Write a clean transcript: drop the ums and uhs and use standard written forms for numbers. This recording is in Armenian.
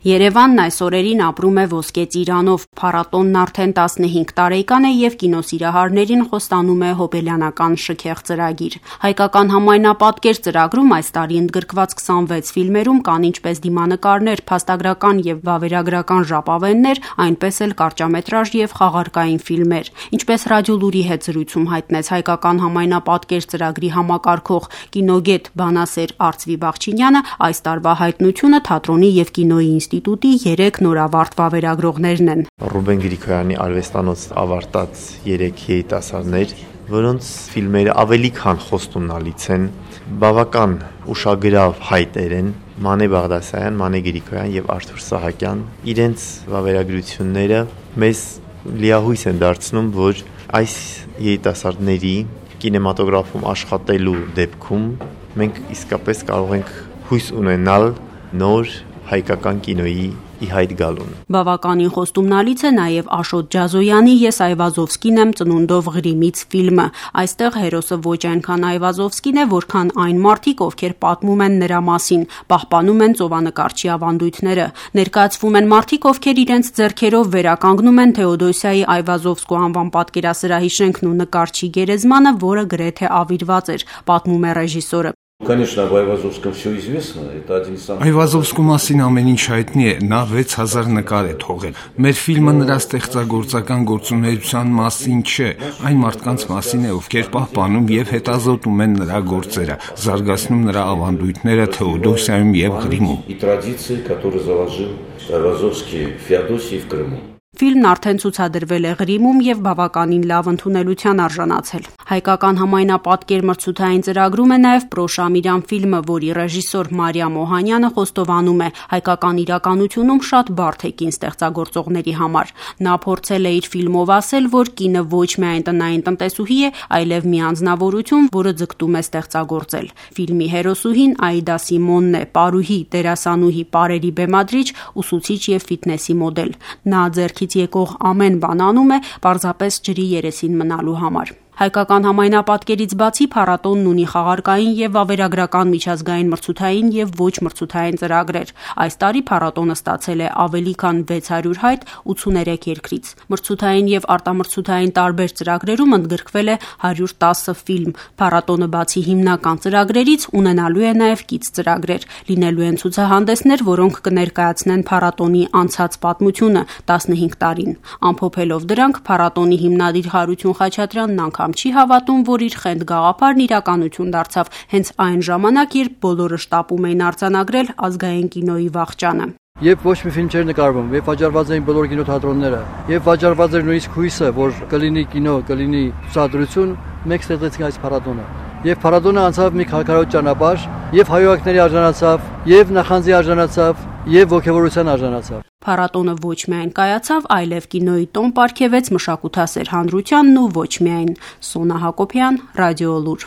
Երևանն այս օրերին ապրում է ոսկե ծիրանով, փառատոնն արդեն 15 տարեկան է եւ կինոսիրահարներին խոստանում է հոբելյանական շքեղ ծրագիր։ Հայկական համայնապատկեր ծրագրում այս տարի ընդգրկված 26 ֆիլմերում կան ինչպես դիմանկարներ, փաստագրական եւ վավերագրական ժապավեններ, այնպես էլ կարճամետրաժ եւ խաղարկային ֆիլմեր։ Ինչպես Ռադիոլուրի հետ զրույցում հայտնեց Հայկական համայնապատկեր ծրագրի համակարգող կինոգետ բանասեր Արծվի Բախչինյանը, այս տարվա հայտնությունը թատրոնի եւ կինոյի ինստիտուտի 3 նորավարտ վավերագրողներն են։ Ռուբեն Գրիգորյանի արվեստանոց ավարտած 3 երիտասարդներ, որոնց ֆիլմերը ավելի քան խոստումնալից են, բավական ուշագրավ հայտեր են։ Մանե Բաղդասարյան, Մանե Գրիգորյան եւ Արթուր Սահակյան իրենց վավերագրությունները մեզ լիահույս են դարձնում, որ այս երիտասարդների կինեմատոգրաֆում աշխատելու դեպքում մենք իսկապես կարող ենք հույս ունենալ նոր հայկական կինոյի ի հայտ գալուն։ Բավականին խոստումնալից է նաև Աշոտ Ջազոյանի «Ես Այվազովսկին եմ ծնունդով Ղրիմից» ֆիլմը։ Այստեղ հերոսը ոչ այնքան Այվազովսկին է, որքան այն մարդիկ, ովքեր պատմում են նրա մասին, պահպանում են ծովանկարչի ավանդույթները։ Ներկայացվում են մարդիկ, ովքեր իրենց ձեռքերով վերականգնում են Թեոդոսիայի Այվազովսկու անվան պատկերասրահի շենքն ու նկարչի գերեզմանը, որը գրեթե ավիրված էր, պատմում է ռեժիսորը։ Конечно, об Айвазовском все известно. Это один из самых... Այվազովսկու մասին ամեն ինչ հայտնի է, նա 6000 նկար է թողել։ Մեր ֆիլմը նրա ստեղծագործական գործունեության մասին չէ, այն մարդկանց մասին է, ովքեր պահպանում եւ հետազոտում են նրա գործերը, զարգացնում նրա ավանդույթները Թեոդոսիայում եւ Ղրիմում։ И традиции, которые заложил Айвазовский в Феодосии и в Крыму. Ֆիլմն արդեն ցուցադրվել է Ղրիմում եւ բավականին լավ ընդունելության արժանացել։ Հայկական համայնապատկեր մրցութային ծրագրում է նաեւ Պրոշամիրյան ֆիլմը, որի ռեժիսոր Մարիամ Օհանյանը խոստովանում է, հայկական իրականությունում շատ բարդ է կին ստեղծագործողների համար։ Նա փորձել է իր ֆիլմով ասել, որ կինը ոչ միայն տնային տնտեսուհի է, այլև մի անձնավորություն, որը ձգտում է ստեղծագործել։ Ֆիլմի հերոսուհին Աիդա Սիմոնն է, պարուհի, դերասանուհի, պարերի բեմադրիչ, ուսուցիչ եւ ֆիթնեսի մոդել։ Նա ձեռքի եկող ամեն բան անում է պարզապես ջրի երեսին մնալու համար։ Հայկական համայնապատկերից բացի փառատոնն ունի խաղարկային եւ վավերագրական միջազգային մրցութային եւ ոչ մրցութային ծրագրեր։ Այս տարի փառատոնը ստացել է ավելի քան 600 հայտ 83 երկրից։ Մրցութային եւ արտամրցութային տարբեր ծրագրերում ընդգրկվել է 110 ֆիլմ։ Փառատոնը բացի հիմնական ծրագրերից ունենալու է նաեւ կից ծրագրեր։ Լինելու են ցուցահանդեսներ, որոնք կներկայացնեն փառատոնի անցած պատմությունը 15 տարին։ Ամփոփելով դրանք, փառատոնի հիմնադիր Հարություն Խաչատրյանն չի հավատում, որ իր խենթ գաղափարն իրականություն դարձավ հենց այն ժամանակ, երբ բոլորը շտապում էին արձանագրել ազգային կինոյի վախճանը։ Երբ ոչ մի ֆիլմ չէր նկարվում, երբ վաճառված էին բոլոր կինոթատրոնները, երբ վաճառված էր նույնիսկ հույսը, որ կլինի կինո, կլինի ցուցադրություն, մենք ստեղծեցինք այս փառատոնը։ Եվ փառատոնը անցավ մի քարքարոտ ճանապարհ, եւ հայոյակների արժանացավ, եւ նախանձի արժանացավ, եւ ոգևորության արժանացավ։ Փառատոնը ոչ միայն կայացավ, այլև կինոյի տոն պարգևեց մշակութասեր հանրությանն ու ոչ միայն։ Սոնա Հակոբյան, Ռադիոլուր։